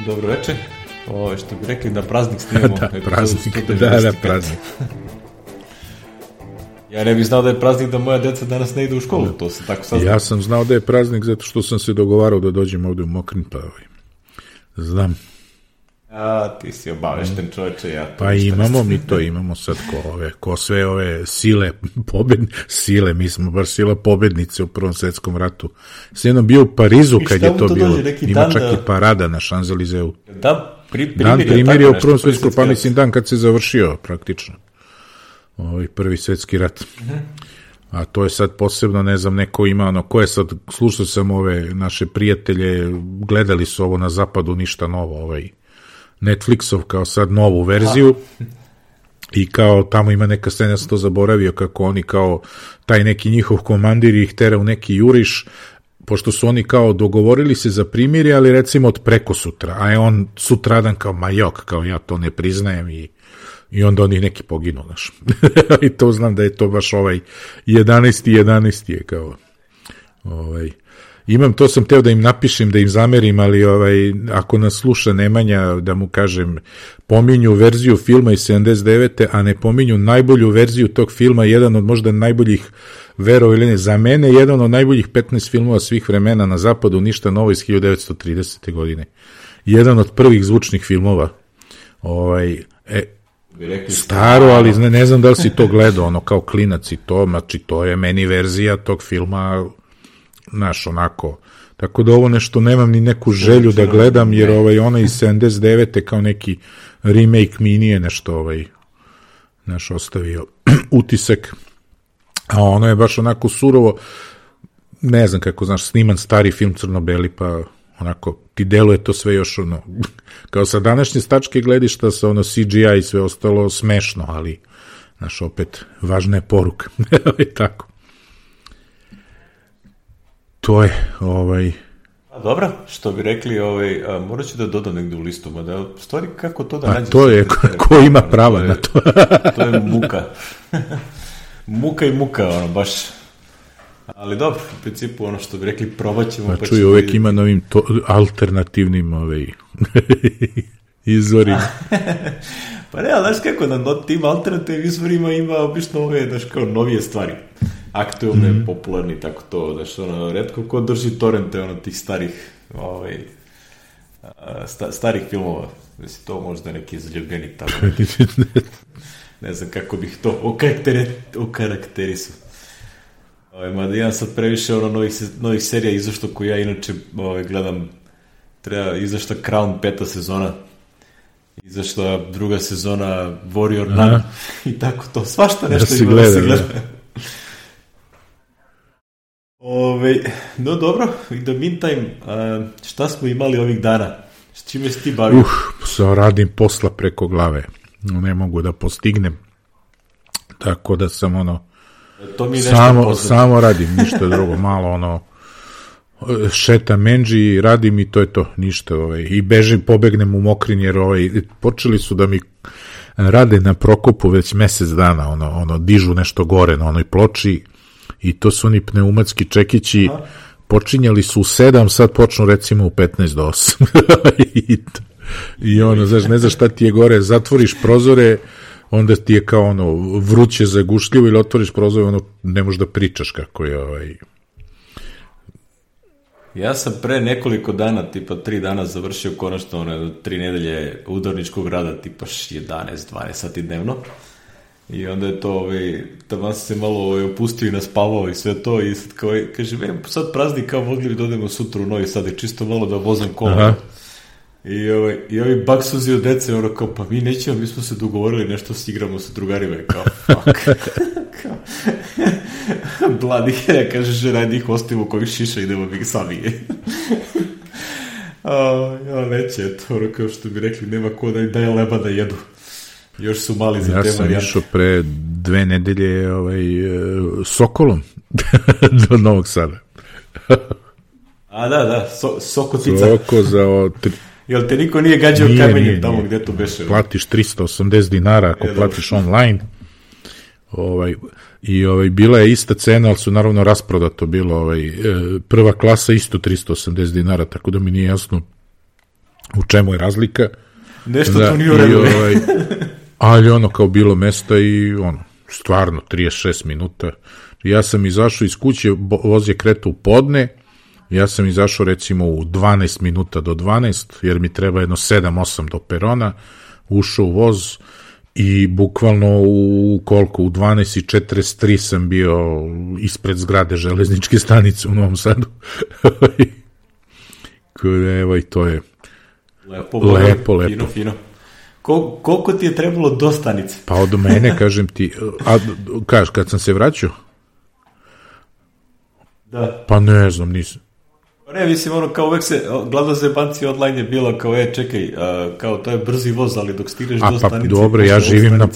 Dobro večer. Što bi rekli da praznik snimamo. Da, praznik, da, praznik. Ja ne bih znao da je praznik da moja deca danas ne ide u školu, to sam tako saznao. Ja sam znao da je praznik zato što sam se dogovarao da dođem ovde u Mokrin, pa znam. Ti si obavešten čoveče, ja to pa imamo mi to, imamo sad ko sve ove sile, sile, mi smo baš sila pobednice u Prvom svetskom ratu. S jednom bio u Parizu kad je to bilo, ima čak i parada na Šanzelizeu. Dan primjer je u Prvom svetskom, pa mislim dan kad se završio praktično. Prvi svetski rat. A to je sad posebno, ne znam, neko ima, ko je sad, slušao sam ove naše prijatelje, gledali su ovo na zapadu, ništa novo, Netflixov kao sad novu verziju i kao tamo ima neka scena, ja sam to zaboravio, kako oni kao taj neki njihov komandir ih tera u neki juriš, pošto su oni kao dogovorili se za primirje, ali recimo od preko sutra, a je on sutradan kao majok, kao ja to ne priznajem i onda oni neki poginu, znaš. I to znam da je to baš 11. je kao imam, to sam teo da im napišem, da im zamerim, ali ako nas sluša Nemanja, da mu kažem, pominju verziju filma iz 79. a ne pominju najbolju verziju tog filma, jedan od možda najboljih, vero ili ne, za mene jedan od najboljih 15 filmova svih vremena na zapadu, ništa novo, iz 1930. godine. Jedan od prvih zvučnih filmova. Staro, ali ne znam da li si to gledao, kao klinac i to, znači to je meni verzija tog filma, znaš, onako, tako da ovo nešto nemam ni neku želju da gledam, jer ona iz 79. kao neki remake mi nije nešto naš ostavio utisak, a ono je baš onako surovo, ne znam kako, znaš, sniman stari film crno-beli, pa onako ti deluje to sve još kao sa današnje stačke gledišta sa CGI i sve ostalo smešno, ali znaš, opet važna je poruka. Tako. To je Dobro, što bi rekli, morat ću da dodam negdje u listu, mada stvari kako to da nađe. A to je, ko ima prava na to. To je muka. Muka i muka, baš. Ali dobro, u principu, što bi rekli, probat ćemo. Pa čuj, uvek ima novim alternativnim izvorima. Pa ne, ali znaš kako, na tim alternativnim izvorima ima obično znaš, kao novije stvari. Aktualne, popularni, tako to, znaš, retko ko drži torrente, tih starih, starih filmova. Znači, to možda neki zaljubljenik tamo. Ne znam kako bih to okarakterisao. Mada imam sad previše novih serija izašto koju ja inače gledam. Treba izašla Crown 5. sezona, izašla 2. sezona Warrior Nun i tako to, svašta nešto ima da se gleda. No dobro, in the meantime, šta smo imali ovih dana? S čime si ti bavio? Radim posla preko glave, ne mogu da postignem, tako da sam samo radim, ništa drugo, malo šetam menđi, radim i to je to, ništa, i pobegnem u Mokrin, jer počeli su da mi rade na Prokopu već mesec dana, dižu nešto gore na onoj ploči i to su oni pneumatski čekići, počinjali su u 7, sad počnu recimo u 15 do 8. I znaš, ne znaš šta ti je gore, zatvoriš prozore, onda ti je kao vruće, zagušljivo, ili otvoriš prozor, ne možeš da pričaš kako je Ja sam pre nekoliko dana, tipa 3 dana završio konačno 3 nedelje udarničkog rada, tipa 11-12 sati dnevno. I onda je to, tamo sam se malo opustio i naspavao i sve to, i sad kao, kaže, sad praznik, kao mogli bi da odemo sutra u Novi Sad i čisto malo da vozam kola. I ovi baksuzi od dece, kao, pa mi nećemo, mi smo se dogovorili nešto, se igramo sa drugarima, kao, fuck. Bladi, kaže, žena, njih ostavimo kojih šiša, idemo mi sami. Neće, eto, kao što bi rekli, nema ko da daje leba da jedu. Još su mali za te varijante. Ja sam išao pre 2 nedelje Sokolom do Novog Sada. Da, Sokotica. Soko za... Jel te niko nije gađao kamenjem tamo gdje to beše? Platiš 380 dinara ako platiš online. I bila je ista cena, ali su naravno rasprodato bilo. Prva klasa isto 380 dinara, tako da mi nije jasno u čemu je razlika. Nešto tu nije u redu. Ali ono kao bilo mesta i ono, stvarno 36 minuta. Ja sam izašao iz kuće, voz je kretao u podne, ja sam izašao recimo u 12 minuta do 12, jer mi treba jedno 7-8 do perona, ušao u voz i bukvalno u 12:43 sam bio ispred zgrade železničke stanice u Novom Sadu. Evo i to je lepo. Fino. Koliko ti je trebalo do stanice? Pa od mene, kažem ti, kad sam se vraćao? Da. Pa ne znam, nisam. Ne, mislim, ono, kao uvek se, glavna zebancija online je bila kao, čekaj, kao to je brzi voz, ali dok stigneš do stanice... Pa dobro, ja živim na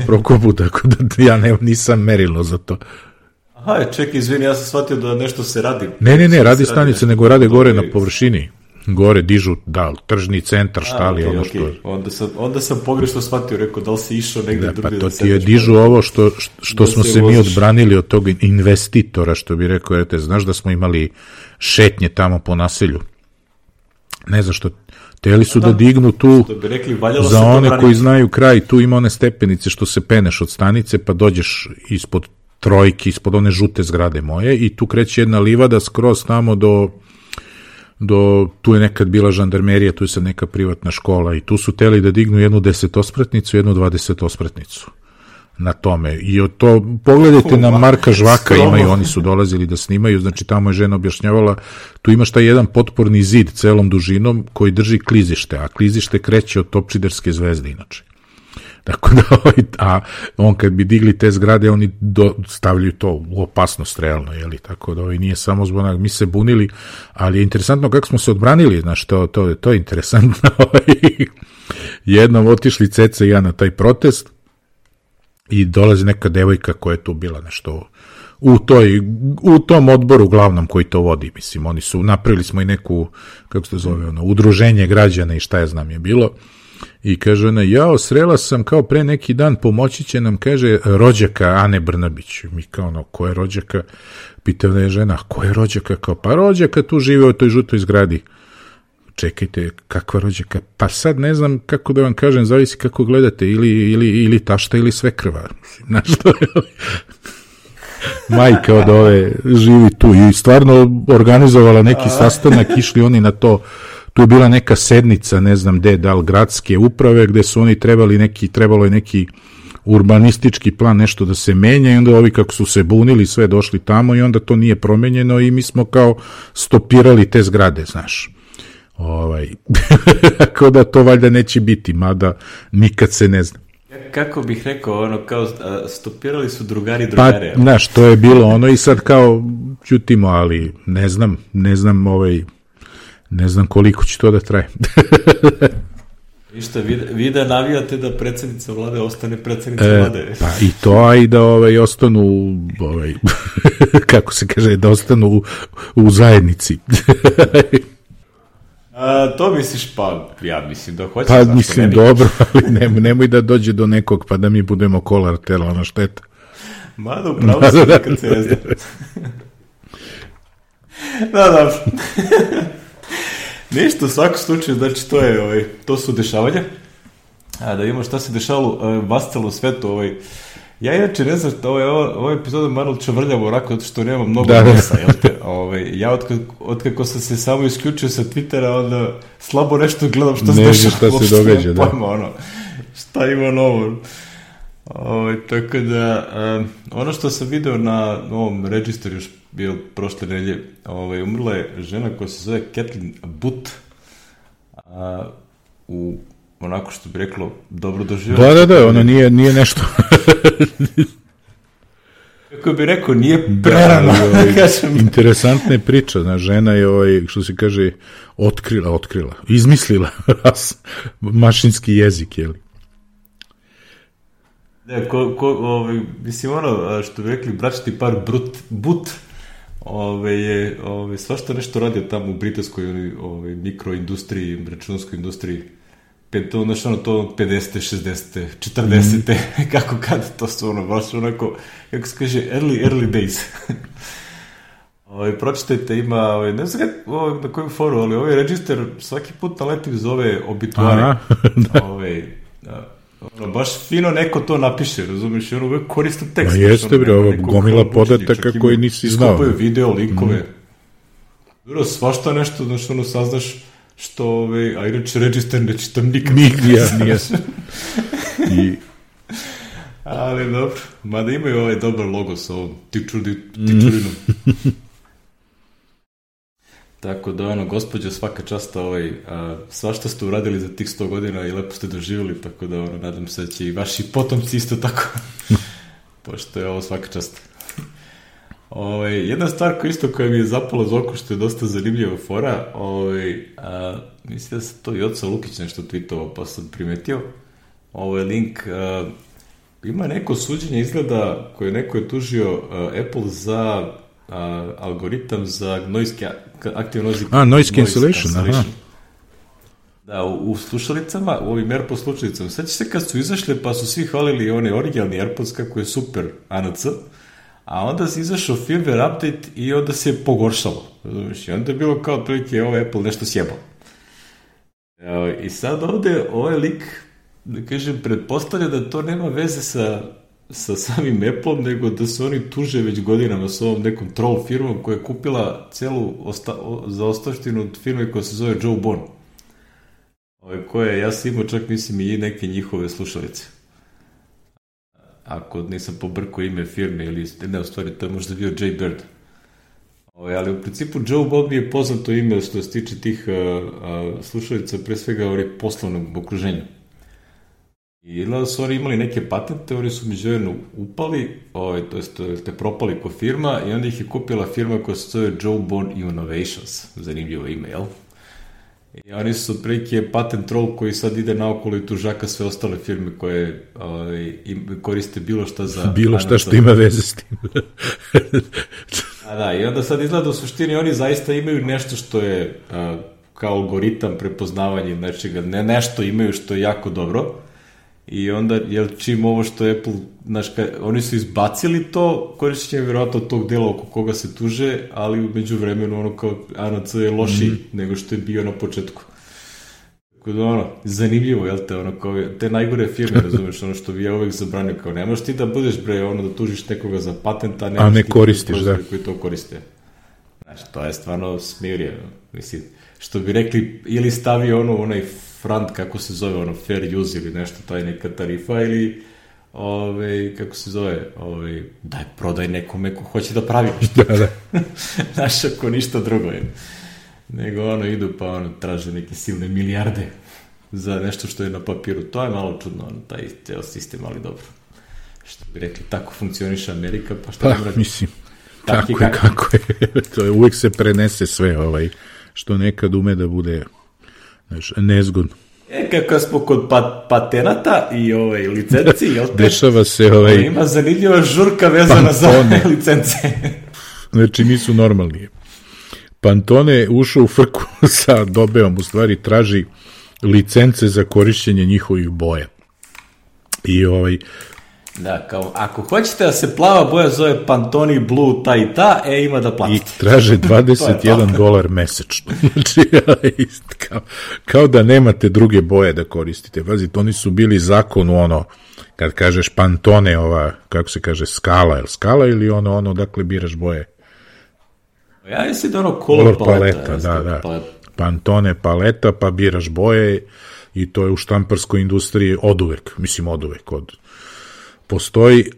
Prokopu, tako da ja nisam merilo za to. Aha, čekaj, izvini, ja sam shvatio da nešto se radi. Ne, radi stanice, nego rade gore na površini. Gore dižu, tržni centar, štali, ono što... Onda sam pogrešno shvatio, rekao, da li si išao negde drugi... Pa to ti je dižu ovo što smo se mi odbranili od tog investitora, što bi rekao, znaš da smo imali šetnje tamo po naselju. Ne znam što... Teli su da dignu tu, za one koji znaju kraj, tu ima one stepenice što se peneš od stanice, pa dođeš ispod trojki, ispod one žute zgrade moje, i tu kreće jedna livada skroz tamo tu je nekad bila žandarmerija, tu je sad neka privatna škola i tu su teli da dignu jednu 10-ospratnicu, jednu 20-ospratnicu na tome. I od to, pogledajte na Marka Žvaka, imaju, oni su dolazili da snimaju, znači tamo je žena objašnjavala, tu imaš taj jedan potporni zid celom dužinom koji drži klizište, a klizište kreće od Topčiderske zvezde inače. Tako da, a on kad bi digli te zgrade, oni stavljaju to u opasnost realno, jeli, tako da nije samo zbog, mi se bunili, ali je interesantno kako smo se odbranili, znaš, to je interesantno. Jednom otišli Ceca i ja na taj protest i dolazi neka devojka koja je tu bila nešto u tom odboru glavnom koji to vodi, mislim, oni su, napravili smo i neku, kako se to zove, udruženje građana i šta ja znam je bilo. I kaže ona, srela sam kao pre neki dan, pomoći će nam, kaže, rođaka Ane Brnabić. Mi kao, ko je rođaka? Pitao da je žena, ko je rođaka? Kao, pa rođaka tu žive u toj žutoj zgradi. Čekajte, kakva rođaka? Pa sad ne znam kako da vam kažem, zavisi kako gledate, ili tašta ili svekrva. Znaš što je? Majka od ove živi tu i stvarno organizovala neki sastanak, išli oni na to. Tu je bila neka sednica, ne znam gde, da li gradske uprave, gde su oni trebalo je neki urbanistički plan, nešto da se menja, i onda ovi kako su se bunili, sve došli tamo i onda to nije promenjeno i mi smo kao stopirali te zgrade, znaš. Tako da to valjda neće biti, mada nikad se ne zna. Kako bih rekao, kao stopirali su drugare. Pa, znaš, to je bilo i sad kao ćutimo, ali ne znam, ne znam koliko će to da traje. Ništa, vi da navijate da predsjednica vlade ostane predsjednica vlade. Pa i to, a i da ostanu, kako se kaže, da ostanu u zajednici. To misliš, pa ja mislim da hoće. Pa mislim, dobro, ali nemoj da dođe do nekog pa da mi budemo kolateralna šteta. Mada upravo se nekad se ne zna. Da, dobro. Ništa, u svakom slučaju, znači to su dešavanja. Da vidimo šta se dešavalo vascelo svetu. Ja inače ne znam, ova epizoda malo čavrljava onako, zato što nema mnogo nosa, jel te? Ja otkako sam se samo isključio sa Twittera, onda slabo nešto gledam što se dešava. Šta se događa, da. Šta ima novo. Tako da, ono što sam video na ovom registru još bio prošle nedelje, umrla je žena koja se zove Kathleen Booth, onako što bi reklo, dobro doživjela. Da, ono nije nešto. Kako bi rekao, nije prerano. Interesantna je priča, znaš, žena je, što se kaže, otkrila, izmislila mašinski jezik, jel? Ne, mislim, što bi rekli, bračni par Booth, je svašta nešto radio tamo u britanskoj mikroindustriji, računskoj industriji. To 50. 60. 40. kako kada to su baš onako, kako se kaže, early days. Pročitajte, ima, ne znam na kojem foru, ali ovaj register svaki put naletim zove obituare. Baš fino neko to napiše, razumiješ, i ono uvek koristan tekst. Jeste, bre, ovo gomila podataka koji nisi znao. Iskopaju video, linkove. Svašta nešto, znaš, saznaš što, a inače register ne čitam nikad. Nije. Ali dobro, mada imaju ovaj dobar logo sa ovom tičurinom. Tako da, gospođo, svaka čast, svašta ste uradili za tih 100 godina i lepo ste doživjeli, tako da, nadam se da će i vaši potomci isto tako, pošto je ovo svaka čast. Jedna stvar koja mi je zapala za oko, što je dosta zanimljiva fora, mislim da se to i Joca Lukić nešto tweetovao, pa sam primetio, link, ima neko suđenje izgleda koje neko je tužio Apple za algoritam za noise cancellation, aha. Da, u slušalicama, u ovim AirPods slušalicama, sveći se kad su izašle pa su svi hvalili one originalni AirPods kako je super ANC, a onda se izašao firmware update i onda se je pogoršalo. I onda je bilo kao otprilike Apple nešto sjebao. I sad ovde ovaj lik, da kažem, pretpostavlja da to nema veze sa samim Apple-om, nego da se oni tuže već godinama s ovom nekom troll firmom koja je kupila celu zaostavštinu od firme koja se zove Joe Bon. Koje, ja sam imao čak, mislim, i neke njihove slušalice. Ako nisam pobrkao ime firme, ili ne, u stvari, to je možda bio Jay Bird. Ali u principu Joe Bon mi je poznato ime što se tiče tih slušalica, pre svega poslovnog okruženja. I da su oni imali neke patente, oni su međuvremenu upali, to je propali ko firma, i onda ih je kupila firma koja se zove Joe Bon Innovations, zanimljivo ime, jel? I oni su otprilike patent troll koji sad ide naokolo i tužaka sve ostale firme koje koriste bilo šta za... Bilo šta što ima veze s tim. Da, i onda sad izgleda u suštini oni zaista imaju nešto što je kao algoritam prepoznavanja nečega, nešto imaju što je jako dobro. I onda, čim ovo što Apple, oni su izbacili to, korišćenje vjerojatno tog dela oko koga se tuže, ali umeđu vremenu kao ANC je lošiji nego što je bio na početku. Tako da, zanimljivo, jel te, te najgore firme, razumeš, što bi ja uvek zabranio, kao nemaš ti da budeš, da tužiš nekoga za patent, a ne koristiš, da. Koji to koriste. To je stvarno smirje, mislim, što bi rekli, ili stavi onaj front, kako se zove, fair use ili nešto, taj neka tarifa, ili kako se zove, daj, prodaj nekome ko hoće da pravi nešto. Da. Znaš, ako ništa drugo je. Nego idu pa traže neke silne milijarde za nešto što je na papiru. To je malo čudno, taj ceo sistem, ali dobro. Što bi rekli, tako funkcioniše Amerika, pa što pa, mislim, tako je kako je. To je, uvijek se prenese sve, što nekad ume da bude nezgodno. Kako smo kod patenata i licenci, jel te? Dešava se ima zanimljiva žurka vezana za licence. Znači, nisu normalni. Pantone ušao u frku sa Dobeom, u stvari traži licence za korišćenje njihovih boja. I Da, kao, ako hoćete da se plava boja zove Pantone Blue ta i ta, ima da platite. I traže $21 mesečno. Znači, kao da nemate druge boje da koristite. Pazite, oni su bili zakonu, kad kažeš Pantone, kako se kaže, skala ili dakle biraš boje. Ja mislim da color paleta. Da. Pantone paleta, pa biraš boje i to je u štamparskoj industriji oduvek. Postoji,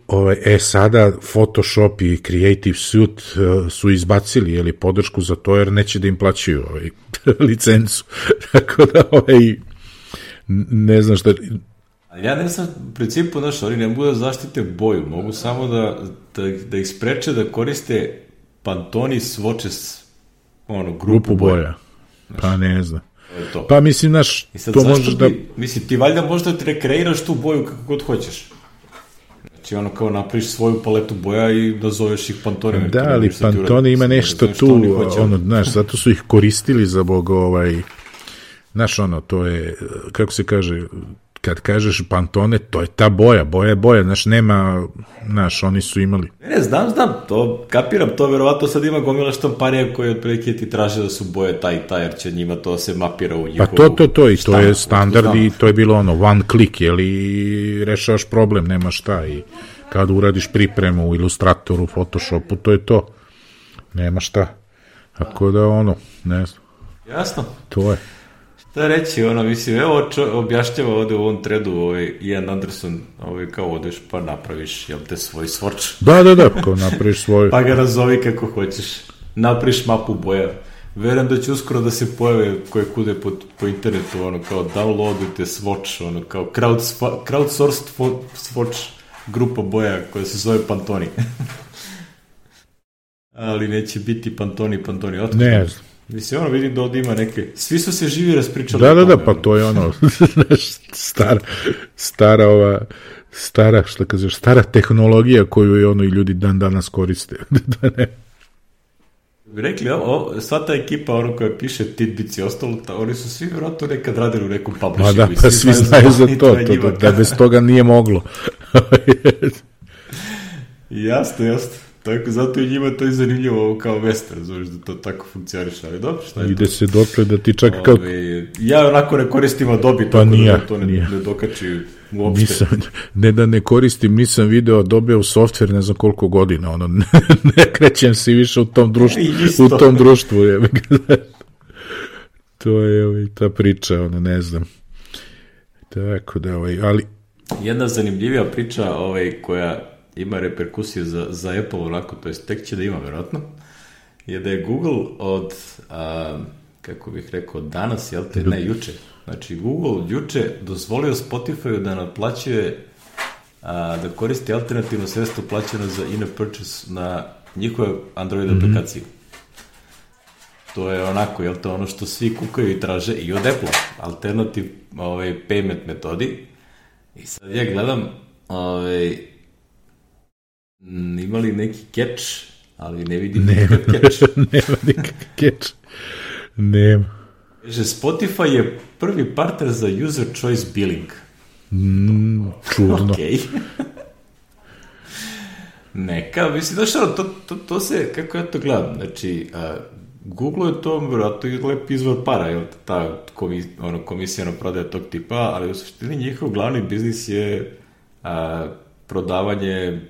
sada Photoshop i Creative Suite su izbacili podršku za to jer neće da im plaćaju licencu. Tako da ne znam šta... Ja ne znam, u principu, oni ne mogu da zaštite boju, mogu samo da ih spreče da koriste Pantone Swatches, grupu boja. Pa ne znam. Pa mislim, to možeš da... Mislim, ti valjda možda rekreiraš tu boju kako god hoćeš. Znači, kao napraviš svoju paletu boja i nazoveš ih Pantone. Da, ali Pantone ima nešto tu, zato su ih koristili za to je, kako se kaže, kad kažeš Pantone, to je ta boja, znaš, nema, znaš, oni su imali. Ne, znam, to, kapiram, to verovatno sad ima gomila štamparija koji otprilike ti traže da su boje taj i taj, jer će njima to se mapira u njihovu... Pa to, i to je standard i to je bilo ono, one click, i rešavaš problem, nema šta, i kad uradiš pripremu u Illustratoru, Photoshopu, to je to, nema šta, tako da ono, ne znam. Jasno. To je. Šta reći, mislim, evo objašnjava ovde u ovom threadu, Ian Anderson, kao odeš pa napraviš, jel te, svoj swatch. Da, kao napraviš svoj. Pa ga razovi kako hoćeš, napraviš mapu boja. Verujem da će uskoro da se pojave koje kude po internetu, kao downloadujte swatch, kao crowdsourced swatch grupa boja koja se zove Pantone. Ali neće biti Pantone, otkud. Ne znam. Mislim, vidim da ovdje ima neke... Svi su se živi raspričali. Da, pa to je stara tehnologija koju i ljudi dan danas koriste. Da ne. Bi rekli, sva ta ekipa, koja piše Tidbits i ostalo, oni su svi vjerojatno nekad radili u nekom publishingu. Pa svi znaju za to, da bez toga nije moglo. Jasno. Tako, zato i njima to je zanimljivo kao western, znaš da to tako funkcioniš, ali dobro, šta je to? Ide se dotle da ti čak kako... Ja onako ne koristim Adobe, tako da to ne dokači uopšte. Ne da ne koristim, nisam video Adobe u software ne znam koliko godina, ne krećem se više u tom društvu. To je ta priča, ne znam. Tako da, ali... Jedna zanimljivija priča, koja ima reperkusije za Apple, onako, to jest tek će da ima, verovatno, je da je Google od, kako bih rekao, danas, juče. Znači, Google juče dozvolio Spotify da naplaćuje, da koristi alternativno sredstvo plaćeno za in-app purchase na njihove Android aplikaciji. To je onako, ono što svi kukaju i traže i od Apple, alternativ payment metodi. I sad ja gledam, ima li neki catch, ali ne vidim nikakav catch. Nema nikakav catch. Nema. Kaže, Spotify je prvi partner za user choice billing. Čudno. Okej. Neka, mislim, znaš, to se, kako ja to gledam, znači, Google je to vjerojatno i lep izvor para, jel, ta komisija na prodaja tog tipa, ali u suštini njihov glavni biznis je prodavanje,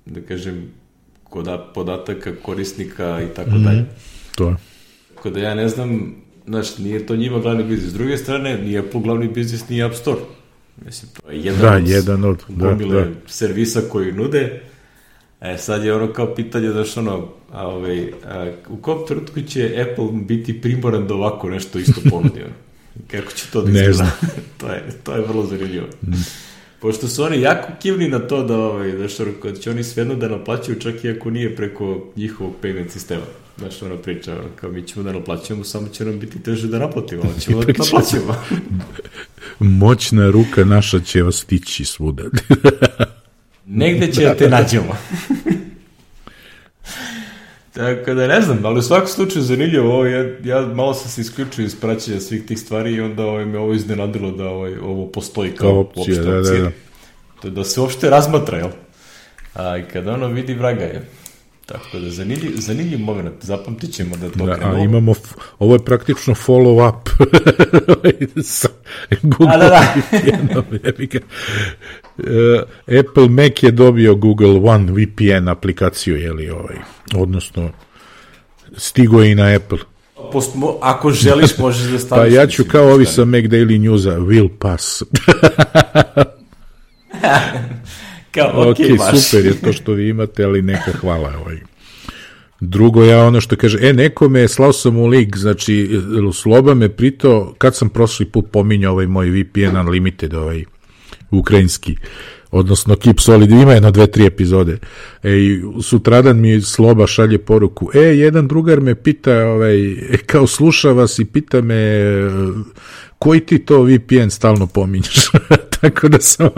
da kažem, podataka korisnika i tako dalje. To je. Tako da ja ne znam, znaš, nije to njima glavni biznis. S druge strane, nije Apple glavni biznis, nije App Store. Mislim, to je jedan od gomile servisa koji nude. Sad je kao pitanje, znaš, u kom trenutku će Apple biti primoran da ovako nešto isto ponudi? Kako će to da izgleda? Ne znam. To je vrlo zanimljivo. Pošto su oni jako kivni na to da će oni svejedno da naplaćaju čak i ako nije preko njihovog payment sistema. Znaš, priča, kao mi ćemo da naplaćujemo, samo će nam biti teže da naplatimo, ali ćemo da naplaćujemo. Moćna ruka naša će vas stići svuda. Negde će da te nađemo. Tako da ne znam, ali u svakom slučaju zanimljivo, ja malo sam se isključio iz praćenja svih tih stvari i onda me ovo iznenadilo da ovo postoji kao opšte opcija. To da se uopšte razmatra, jel? A i kada vidi vraga je. Tako da zanimljiv moment, zapamtit ćemo da to krenuo. Imamo, ovo je praktično follow-up. Google Apple Mac je dobio Google One VPN aplikaciju, odnosno stigo je i na Apple. Ako želiš, možeš da staviš. Pa ja ću kao ovi sa Mac Daily Newsa, will pass. Ok, super je to što vi imate, ali neka hvala. Drugo, ja ono što kaže, nekome slao sam u link, znači, Sloba me pitao, kad sam prošli put pominjao moj VPN Unlimited, ukrajinski, odnosno Keep Solid, ima 1-2-3 epizode. Sutradan mi Sloba šalje poruku, jedan drugar me pita, kao sluša vas i pita me, koji ti to VPN stalno pominješ? Tako da sam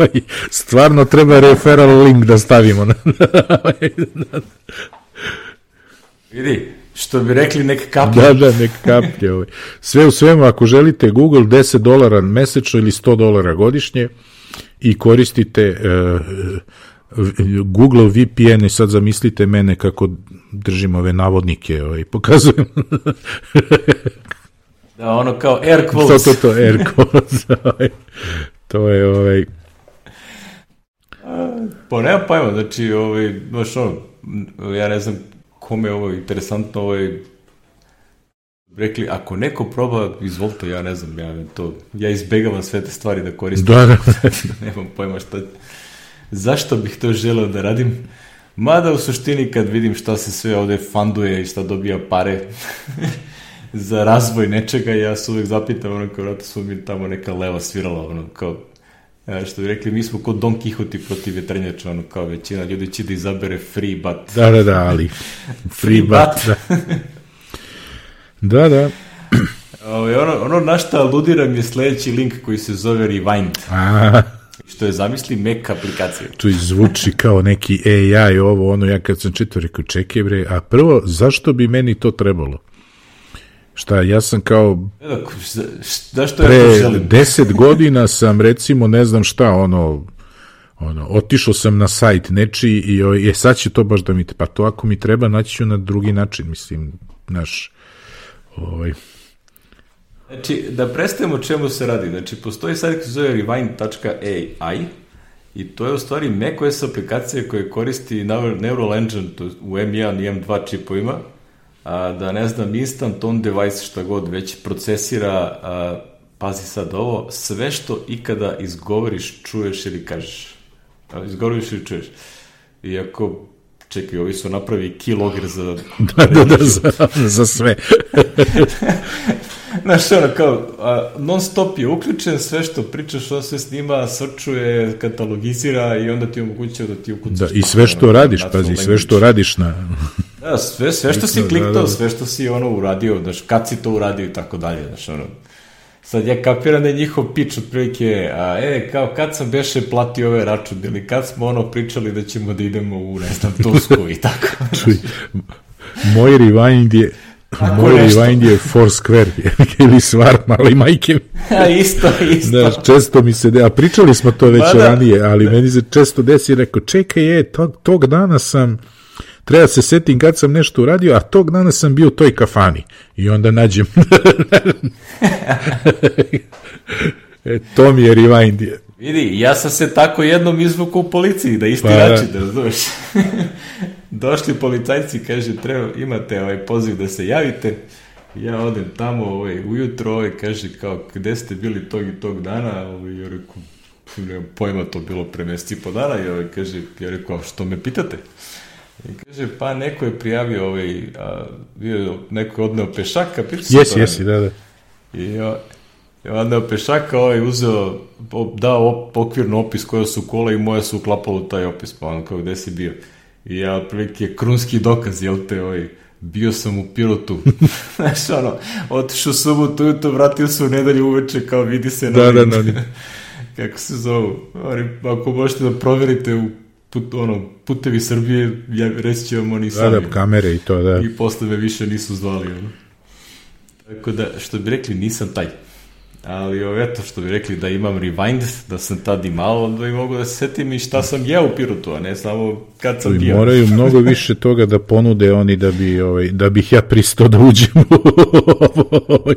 stvarno treba referral link da stavimo. Vidi, što bi rekli, nek kaplje. Da, nek kaplje. Sve u svemu, ako želite Google, $10 mesečno ili $100 godišnje, i koristite Google VPN i sad zamislite mene kako držim ove navodnike i pokazujem. Da, ono kao air quotes. To, air quotes. To je Pa nema pojma, znači, baš ja ne znam kome je ovo interesantno, rekli, ako neko proba, izvolite, ja ne znam, ja izbegavam sve te stvari da koristim. Da. Nemam pojma šta, zašto bih to želeo da radim, mada u suštini kad vidim šta se sve ovde funduje i šta dobija pare za razvoj nečega, ja se uvek zapitam, kao vrata su mi tamo neka leva svirala, kao, što bi rekli, mi smo kod Don Quixote protiv vetrenjača, kao većina ljudi će da izabere free bat. Da, ali free bat. Da. Ono na šta aludiram je sledeći link koji se zove Rewind. Što je, zamisli, Mac aplikacija. To zvuči kao neki AI, ja kad sam čitao, rekao, čekaj bre, a prvo, zašto bi meni to trebalo? Šta, ja sam kao pre 10 godina sam, recimo, ne znam šta, otišao sam na sajt nečiji i sad će to baš da mi, pa to ako mi treba, naći ću na drugi način, mislim, Znači, da predstavimo o čemu se radi. Znači, postoji sajt koji se zove rewind.ai i to je u stvari macOS aplikacija koja koristi Neural Engine u M1 i M2 čipovima, da, ne znam, instant on device, šta god, već procesira, pazi sad ovo, sve što ikada izgovoriš, čuješ ili kažeš. Izgovoriš ili čuješ. Iako, čekaj, ovi su napravi keylogger za... za sve. Znaš, kao, non stop je uključen, sve što pričaš, on se snima, srčuje, katalogizira i onda ti omogućuje da ti ukucaš. Da, i sve što radiš, pazi, sve što radiš na... Da, sve što si kliktao, sve što si uradio, znaš, kad si to uradio i tako dalje, znaš, sad ja kapiram da je njihov pitch otprilike, kao kad sam beše platio ove račun, ili kad smo pričali da ćemo da idemo u, ne znam, Tursku i tako. Čuj, moj rewind je Foursquare ili Svarm, ali majke. Isto. Da, često mi se a pričali smo to već ranije, ali meni se često desi, rekao, čekaj, tog dana sam, treba se setim kad sam nešto uradio, a tog dana sam bio u toj kafani. I onda nađem. To mi je rewind. Vidi, ja sam se tako jednom izvukao u policiji, da isti način, da razumeš. Došli policajci, kaže, imate poziv da se javite. Ja odem tamo ujutro, kaže, kao, gde ste bili tog i tog dana? Ja rekao, nemam pojma, to bilo pre meseci po dana. Kaže, ja rekao, što me pitate? I kaže, pa neko je prijavio neko je odneo pešaka. Jesi, da. I odneo pešaka, uzeo, dao okvirno opis koja su kola i moja su uklapala u taj opis, pa ono kao, gde si bio? I ja, otprilike, krunski dokaz, jel te, bio sam u Pirotu. Znaš, otišao subotu ujutro, vratio se u nedelju uveče, kao vidi se na kako se zovu. Ako možete da proverite putevi Srbije, reći će vam oni sami. Da, kamere i to, da. I posle me više nisu zvali, Tako da, što bi rekli, nisam taj. Ali eto, što bi rekli, da imam rewind, da sam tad imao, da i mogu da se setim i šta sam jeo u Pirotu, a ne samo kad sam bio. Moraju mnogo više toga da ponude oni da bih ja pristao da uđem u ovo.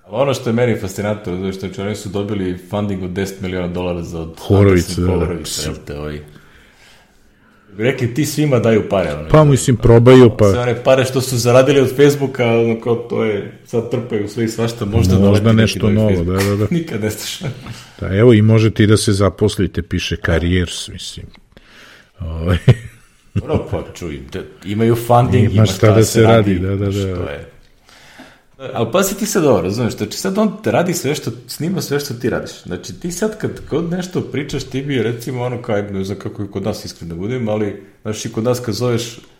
Ono što je meni fascinantno, što oni su dobili funding od $10 miliona za Horovicu, rekli, ti svima daju pare. Pa mislim, probaju, pa... Sve one pare što su zaradili od Facebooka, kao to je, sad trpaju sve i svašta, možda nešto novo, da. Nikad ne staš. Da, evo, i možete i da se zaposlite, piše careers, mislim. Pa čuj, imaju funding, ima šta da se radi. Da. Ali pazi ti sad ovo, razumeš, znači sad on te radi sve što, snima sve što ti radiš. Znači ti sad kad god nešto pričaš, ti bi recimo kao, ne znam kako je kod nas iskreno da budem, ali znaš i kod nas kad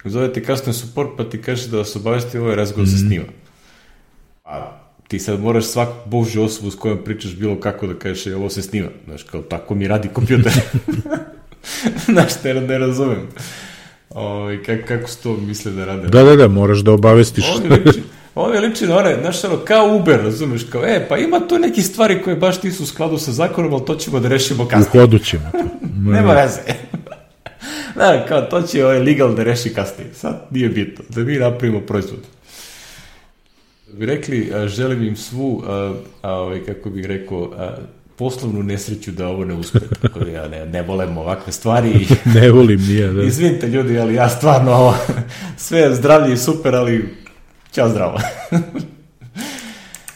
zove ti customer support pa ti kaže da vas obavesti ovaj razgovor se snima. A ti sad moraš svaku božju osobu s kojom pričaš bilo kako da kažeš ovo se snima. Znaš, kao tako mi radi kompjuter. Znaš, ne razumem. Kako se to misle da rade? Da, moraš da obavestiš. Ovo je liči na one, znaš, ono, kao Uber, razumeš, kao, pa ima tu neki stvari koje baš nisu u skladu sa zakonom, ali to ćemo da rešimo kasnije. U hodu ćemo to. Nema veze. Da, kao, to će legal da reši kasnije. Sad nije bitno, da mi napravimo proizvod. Bi rekli, želim im svu, kako bih rekao, poslovnu nesreću da ovo ne uspe. Tako da ja ne volim ovakve stvari. Ne volim nije, da. Izvinite ljudi, ali ja stvarno ovo, sve zdravlje i super, ali ćao zdravo.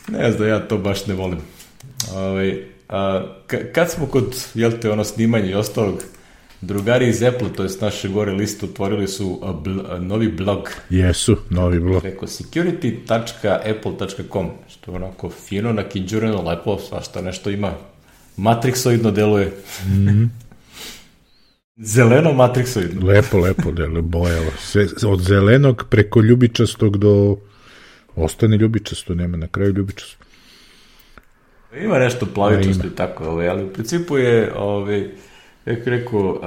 Ne znam, ja to baš ne volim. Kad smo kod, snimanja i ostalog, drugari iz Apple, to je naše gore liste, otvorili su novi blog. Jesu, novi blog. Preko security.apple.com, što je onako fino, nakinđureno, lepo, svašta nešto ima. Matrixoidno deluje. Zeleno matrixoidno. Lepo deluje, bojalo. Od zelenog preko ljubičastog do... Ostane ljubičasto, nema na kraju ljubičasto. Ima nešto plavičasto i tako, ali u principu je... Jak rekao,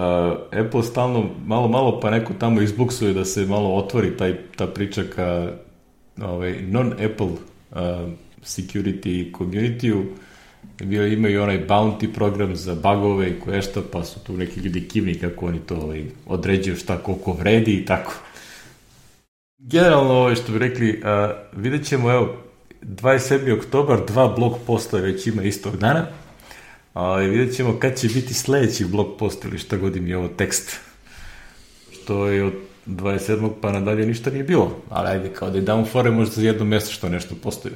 Apple stalno malo pa neko tamo izbuksuje da se malo otvori ta priča ka non-Apple security community-u. Imaju onaj bounty program za bugove i koje šta, pa su tu neki ljudi kivni kako oni to određuju šta koliko vredi i tako. Generalno, što bi rekli, vidjet ćemo, 27. oktobar, 2 blog posta već ima istog dana. Vidjet ćemo kad će biti sledeći blog post ili šta god im je ovo tekst. Što je od 27. pa nadalje ništa nije bilo. Ali ajde, kao da je down fore možda za jedno mjesto što nešto postoji.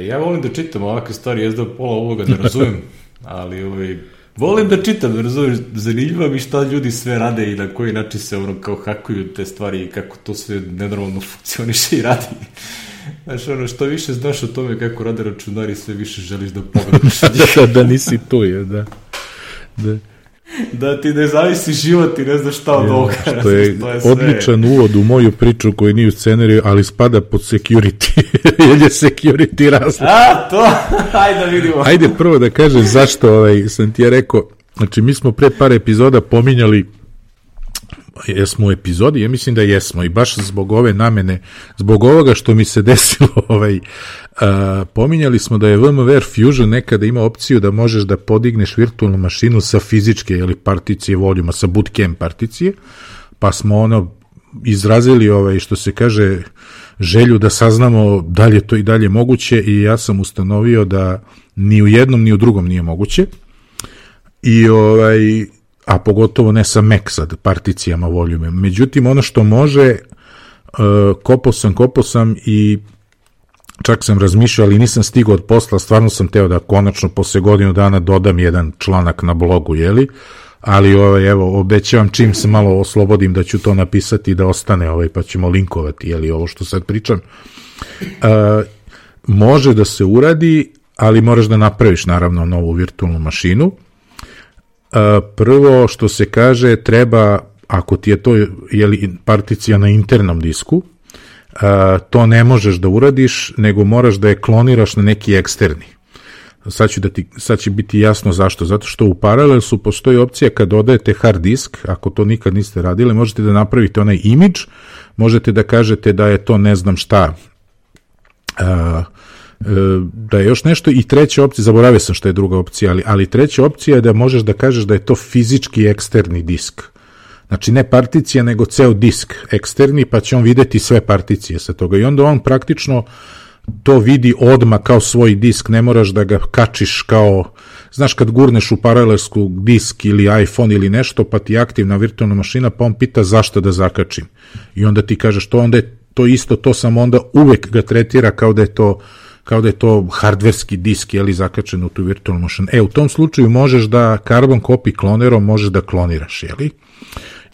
Ja volim da čitam ovakve stvari, jezda pola ovoga ne razumem, ali volim da čitam, da razumem, zanimljivo mi šta ljudi sve rade i na koji način se kao hakuju te stvari i kako to sve nenormalno funkcioniše i radi. Znaš, što više znaš o tome kako rade računari, sve više želiš da pogledaš. Da nisi tu, da. Da ti ne zavisi život i ne znaš šta od ovoga. Što je odličan uvod u moju priču koji nije u scenariju, ali spada pod security. Jer je security razlog. To, ajde da vidimo. Ajde prvo da kažem zašto sam ti ja rekao, znači mi smo pre par epizoda pominjali, jesmo u epizodi, ja mislim da jesmo i baš zbog ove namene, zbog ovoga što mi se desilo, pominjali smo da je VMware Fusion nekada ima opciju da možeš da podigneš virtualnu mašinu sa fizičke particije voljuma, sa bootcamp particije, pa smo izrazili što se kaže želju da saznamo da li je to i dalje moguće i ja sam ustanovio da ni u jednom ni u drugom nije moguće i a pogotovo ne sa Mac sad particijama voljume. Međutim, ono što može, kopao sam i čak sam razmišljao, ali nisam stigao od posla, stvarno sam teo da konačno posle godinu dana dodam jedan članak na blogu, ali evo, obećavam čim se malo oslobodim da ću to napisati i da ostane, pa ćemo linkovati, ovo što sad pričam. Može da se uradi, ali moraš da napraviš naravno novu virtualnu mašinu. Prvo što se kaže, treba, ako ti je to particija na internom disku, to ne možeš da uradiš, nego moraš da je kloniraš na neki eksterni. Sad će biti jasno zašto. Zato što u Parallelsu postoji opcija kad dodajete hard disk, ako to nikad niste radili, možete da napravite onaj imidž, možete da kažete da je to ne znam šta, da je još nešto i treća opcija, zaboravio sam što je druga opcija, ali treća opcija je da možeš da kažeš da je to fizički eksterni disk. Znači ne particija, nego ceo disk eksterni, pa će on videti sve particije sa toga. I onda on praktično to vidi odmah kao svoj disk, ne moraš da ga kačiš kao, znaš kad gurneš u paralelsku disk ili iPhone ili nešto, pa ti je aktivna virtualna mašina, pa on pita zašto da zakačim. I onda ti kažeš to, onda je to isto, to sam onda uvek ga tretira kao da je to hardverski disk, zakačen u tu virtualnu mašinu. U tom slučaju možeš da carbon copy klonerom možeš da kloniraš,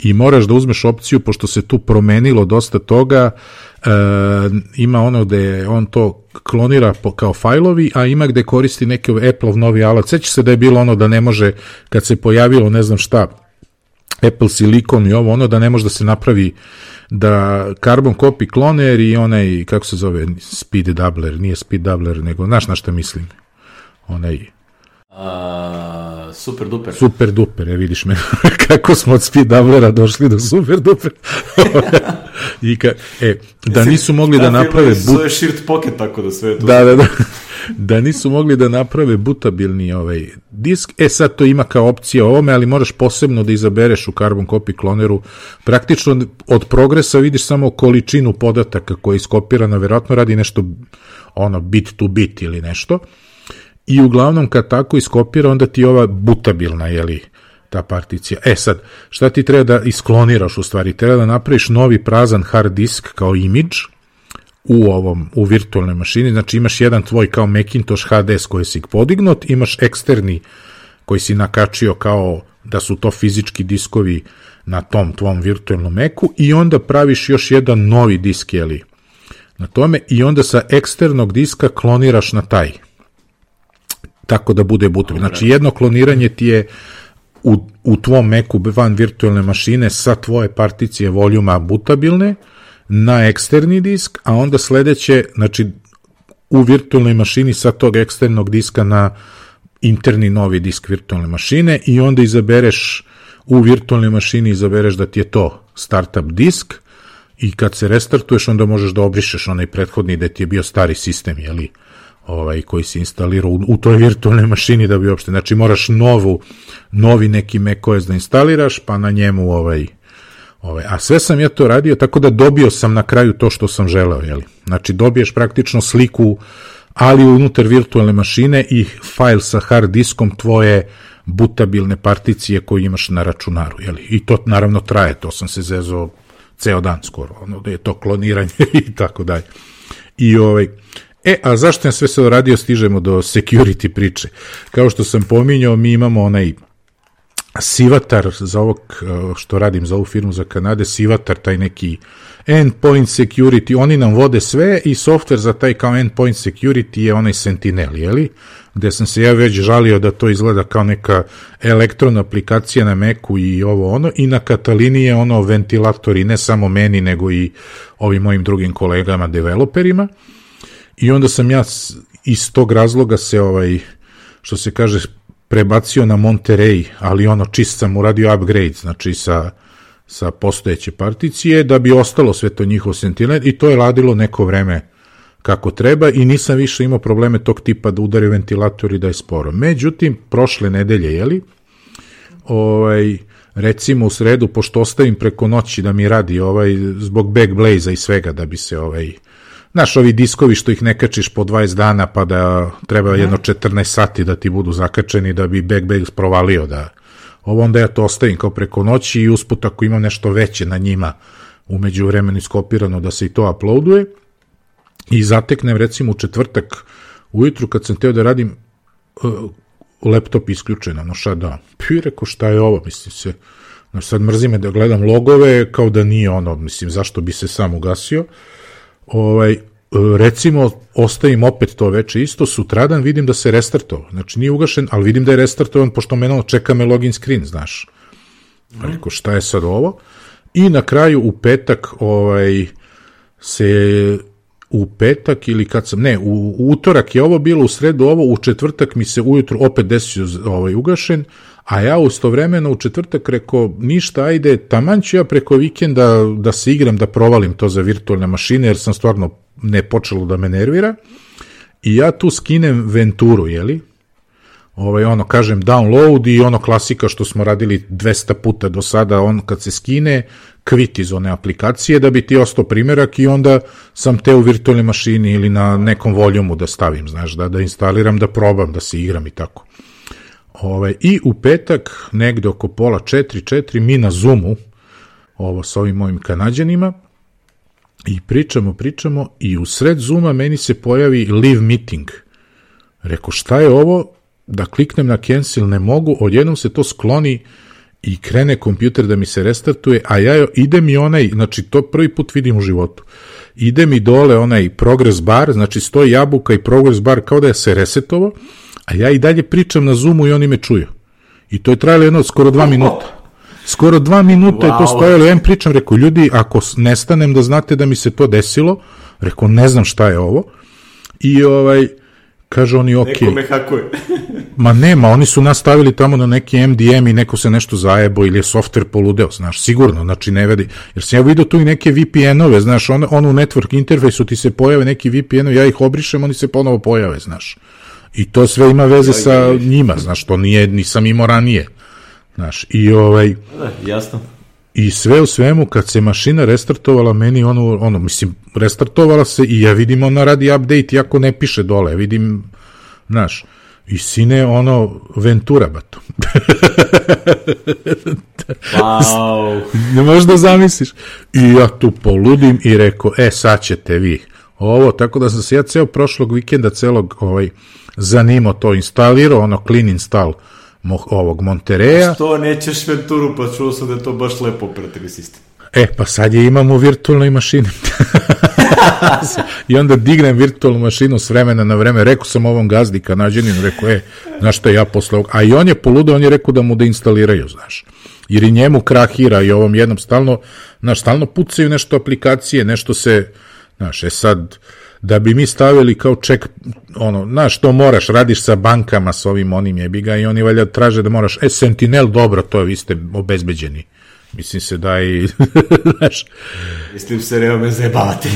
I moraš da uzmeš opciju, pošto se tu promenilo dosta toga, ima ono gde on to klonira kao fajlovi, a ima gde koristi neki Apple-ov novi alat. Seća se da je bilo ono da ne može, kad se pojavilo ne znam šta, Apple Silicon i ovo, da ne može da se napravi da carbon copy kloner i onaj, kako se zove, speed doubler, nije speed doubler, nego, znaš na šta mislim? Super duper. Super duper, vidiš me, kako smo od speed doublera došli do super duper. Da nisu mogli da naprave zove shirt pocket, tako da sve to. Da nisu mogli da naprave butabilni disk, sad to ima kao opcija ovome, ali moraš posebno da izabereš u Carbon Copy Cloneru. Praktično od progresa vidiš samo količinu podataka koja je iskopirana, verovatno radi nešto bit to bit ili nešto. I uglavnom kad tako iskopira, onda ti je ova butabilna, ta particija. Sad, šta ti treba da iskloniraš u stvari? Treba da napraviš novi prazan hard disk kao imidž u virtualnoj mašini, znači imaš jedan tvoj kao Macintosh HDS koji si podignut, imaš eksterni koji si nakačio kao da su to fizički diskovi na tom tvom virtualnom Macu i onda praviš još jedan novi disk, na tome i onda sa eksternog diska kloniraš na taj. Tako da bude butabilno. Znači jedno kloniranje ti je u tvom Macu van virtualne mašine sa tvoje particije voljuma butabilne na eksterni disk, a onda sledeće, znači u virtualnoj mašini sa tog eksternog diska na interni novi disk virtualne mašine i onda izabereš u virtualnoj mašini izabereš da ti je to startup disk i kad se restartuješ onda možeš da obrišeš onaj prethodni da ti je bio stari sistem, koji si instalirao u toj virtualnoj mašini da bi uopšte, znači moraš novi neki macOS da instaliraš, pa na njemu a sve sam ja to radio, tako da dobio sam na kraju to što sam želeo, znači dobiješ praktično sliku, ali unutar virtualne mašine i fajl sa hard diskom tvoje butabilne particije koje imaš na računaru, i to naravno traje, to sam se zezao ceo dan skoro, da je to kloniranje i tako dalje. A zašto sam sve sad radio, stižemo do security priče. Kao što sam pominjao, mi imamo onaj Sivatar za ovog, što radim za ovu firmu za Kanade, Sivatar, taj neki endpoint security, oni nam vode sve i software za taj kao endpoint security je onaj Sentinel, gde sam se ja već žalio da to izgleda kao neka elektrona aplikacija na Macu i i na Katalini je ventilator i ne samo meni, nego i ovim mojim drugim kolegama, developerima. I onda sam ja iz tog razloga se, što se kaže, prebacio na Monterey, ali čist sam uradio upgrade, znači sa postojeće particije, da bi ostalo sve to njihov Sentinel i to je radilo neko vreme kako treba i nisam više imao probleme tog tipa da udari ventilator i da je sporo. Međutim, prošle nedelje, recimo u sredu, pošto ostavim preko noći da mi radi zbog Backblaze-a i svega, da bi se znaš, ovi diskovi što ih ne kačiš po 20 dana, pa da treba jedno 14 sati da ti budu zakačeni da bi Backblaze provalio onda ja to ostavim kao preko noći i usput ako imam nešto veće na njima umeđu vremenu iskopirano da se i to uploaduje i zateknem recimo u četvrtak ujutru kad sam teo da radim laptop isključen, shutdown. Rekao šta je ovo, mislim se, sad mrzi me da gledam logove kao da nije mislim zašto bi se sam ugasio. Recimo, ostavim opet to veče isto, sutradan vidim da se restartovao, znači nije ugašen, ali vidim da je restartovan, pošto čeka me login screen, znaš. Rekao, šta je sad ovo? I na kraju u petak u petak ili kad sam, u utorak je ovo bilo, u sredu ovo, u četvrtak mi se ujutru opet desio ugašen, a ja istovremeno u četvrtak rekao, ništa, ajde, taman ću ja preko vikenda da se igram, da provalim to za virtualne mašine, jer sam stvarno ne počelo da me nervira, i ja tu skinem Venturu, kažem download i klasika što smo radili 200 puta do sada, kad se skine, quit iz one aplikacije da bi ti ostao primerak i onda sam te u virtualnoj mašini ili na nekom voljumu da stavim, znaš, da instaliram, da probam, da se igram i tako. I u petak, negde oko pola 4 mi na Zoomu, sa ovim mojim Kanađanima, i pričamo i u sred Zooma meni se pojavi live meeting. Rekao, šta je ovo? Da kliknem na cancel, ne mogu, odjednom se to skloni i krene kompjuter da mi se restartuje, a ide mi znači to prvi put vidim u životu, ide mi dole onaj progress bar, znači stoji jabuka i progress bar kao da je se resetovo, a ja i dalje pričam na Zoomu i oni me čuju. I to je trajalo skoro 2 minuta. Skoro 2 minuta je to stojalo, ja im pričam, rekao, ljudi, ako nestanem da znate da mi se to desilo, rekao, ne znam šta je ovo, i kaže oni, ok. Neko me hakuje. Ma nema, oni su nastavili tamo na neki MDM i neko se nešto zajebo ili je softver poludeo, znaš, sigurno, znači ne vedi, jer sam ja vidio tu i neke VPN-ove, znaš, on u network interfejsu ti se pojave neki VPN-ovi, ja ih obrišem, oni se ponovo pojave, znaš, i to sve ima veze sa njima, znaš, to nisam imao ranije, znaš, i jasno. I sve u svemu, kad se mašina restartovala, meni mislim, restartovala se i ja vidim ona radi update, iako ne piše dole, vidim, znaš, i sine, Ventura, bato. Wow. Ne možeš da zamisliš. I ja tu poludim i rekao, sad ćete vi ovo, tako da sam se ja ceo prošlog vikenda, celog zanimao to, instalirao, clean install ovog Montereja. Što nećeš Venturu, pa čuo sam da je to baš lepo operativni sistem. Pa sad je imam u virtualnoj mašini. I onda dignem virtualnu mašinu s vremena na vreme, rekao sam ovom gazdi Kanađaninu, rekao, znaš šta, ja posle ovog, a i on je poludeo, on je rekao da mu deinstaliraju, znaš, jer i njemu krahira i ovom jednom stalno pucaju nešto aplikacije, nešto se, znaš, sad, da bi mi stavili kao ček, znaš, to moraš, radiš sa bankama, s ovim onim jebiga i oni valjda traže da moraš, Sentinel, dobro, to vi ste obezbeđeni. Mislim se da i, znaš... Mislim se, nema me zajebavati.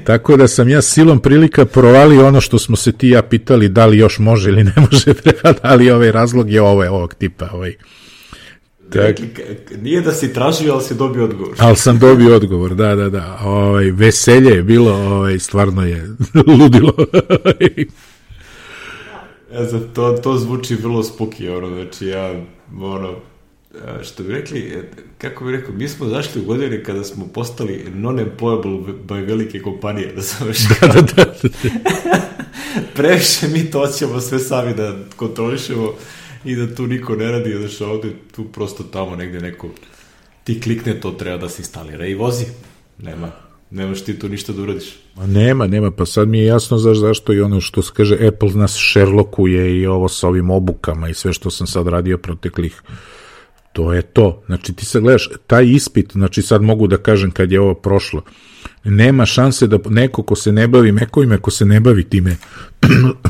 Tako da sam ja silom prilika provalio ono što smo se ti ja pitali da li još može ili ne može, da li razlog je ovog tipa. Nije da si tražio, ali si dobio odgovor. Ali sam dobio odgovor, da. Veselje je bilo, stvarno je ludilo. To zvuči vrlo spooky, znači ja, što bi rekli, kako bi rekao, mi smo zašli u godine kada smo postali non-employable by velike kompanije, da sam već da. Previše mi to hoćemo sve sami da kontrolišemo i da tu niko ne radi, znači ovdje tu prosto tamo negdje neko ti klikne, to treba da se instalira i vozi, nemaš ti tu ništa da uradiš. Nema, pa sad mi je jasno zašto i ono što se kaže Apple nas Sherlockuje i ovo sa ovim obukama i sve što sam sad radio proteklih. To je to. Znači ti sad gledaš, taj ispit, znači sad mogu da kažem kad je ovo prošlo, nema šanse da neko ko se ne bavi Mac-ovima, ko se ne bavi time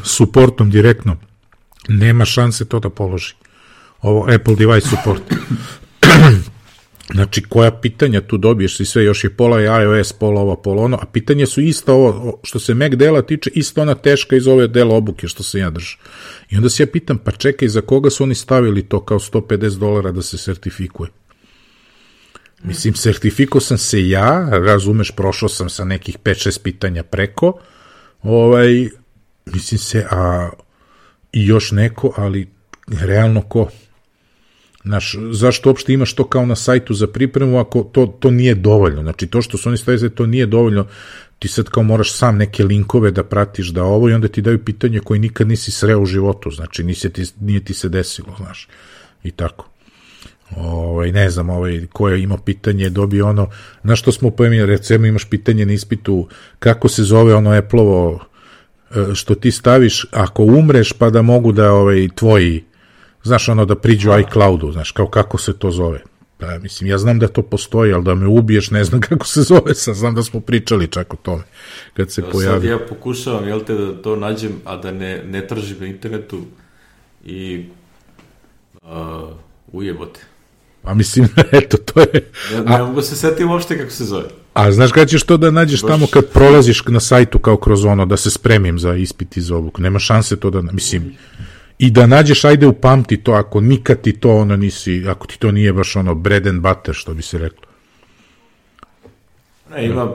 suportom direktno, nema šanse to da položi. Ovo Apple device support. Znači, koja pitanja tu dobiješ i sve, još je pola je iOS, pola ovo, pola ono, a pitanje su isto ovo, što se Mac dela tiče, isto ona teška iz ove dela obuke što se ja držim. I onda se ja pitam, pa čekaj, za koga su oni stavili to kao $150 da se sertifikuje? Mislim, sertifikao sam se ja, razumeš, prošao sam sa nekih 5-6 pitanja preko, mislim se, i još neko, ali realno ko? Znaš, zašto uopšte imaš to kao na sajtu za pripremu ako to nije dovoljno? Znači, to što su oni stavili, to nije dovoljno, ti sad kao moraš sam neke linkove da pratiš da ovo i onda ti daju pitanje koje nikad nisi sreo u životu, znači nije ti se desilo, znaš, i tako. Ne znam, ko je imao pitanje dobio ono, znaš što smo pojemili, recimo imaš pitanje na ispitu, kako se zove ono Apple-ovo, što ti staviš ako umreš pa da mogu da tvoji, znaš ono da priđu iCloudu, znaš kao kako se to zove. Pa, mislim, ja znam da to postoji, ali da me ubiješ ne znam kako se zove, sad znam da smo pričali čak o tome kad se pojavi. Sad ja pokušavam, da to nađem, a da ne tržim na internetu i ujebote. A mislim, eto, to je... Ne mogu se setiti uopšte kako se zove. A znaš kada ćeš to da nađeš tamo kad prolaziš na sajtu kao kroz ono, da se spremim za ispit iz ovog? Nema šanse to da, mislim... I da nađeš, ajde upamti to, ako nikad ti to ono nisi, ako ti to nije baš ono bread and butter, što bi se reklo. Ima,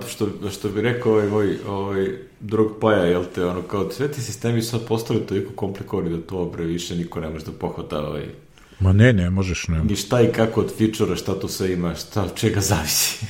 što bi rekao ovaj drug Paja, ono kao sve ti sistemi su sad postali toliko komplikovani da to više niko ne može da pohvata Ma ne možeš, ne. Ni šta i kako od feature-a, šta to sve ima, šta od čega zavisi.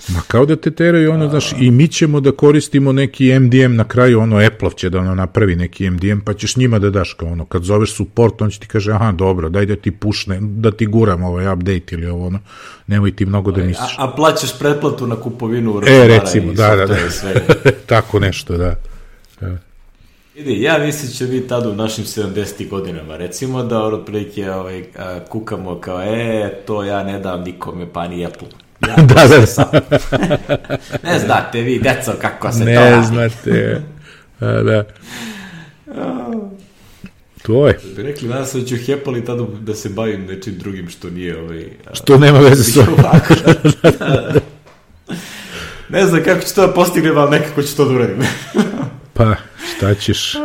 Ma kao da te teraju ono, znaš, i mi ćemo da koristimo neki MDM na kraju, ono, Apple će da napravi neki MDM, pa ćeš njima da daš kao ono, kad zoveš support, on će ti kaže, aha, dobro, daj da ti pušne, da ti guram update ili ovo, ono, nemoj ti mnogo da misliš. A plaćaš pretplatu na kupovinu recimo, da. Tako nešto, da. Ja mislim će mi tada u našim 70. godinama, recimo da otprilike kukamo kao, to ja ne dam nikome, pa ni Apple. Da. Ne znate vi, deco, kako se to radi. Ne znate, da. To je. Da bi rekli, danas da ću hepali tada da se bavim nečim drugim što nije što nema veze s ovako. Ne znam kako ću to da postignem, ali nekako ću to da uradim. Pa, šta ćeš?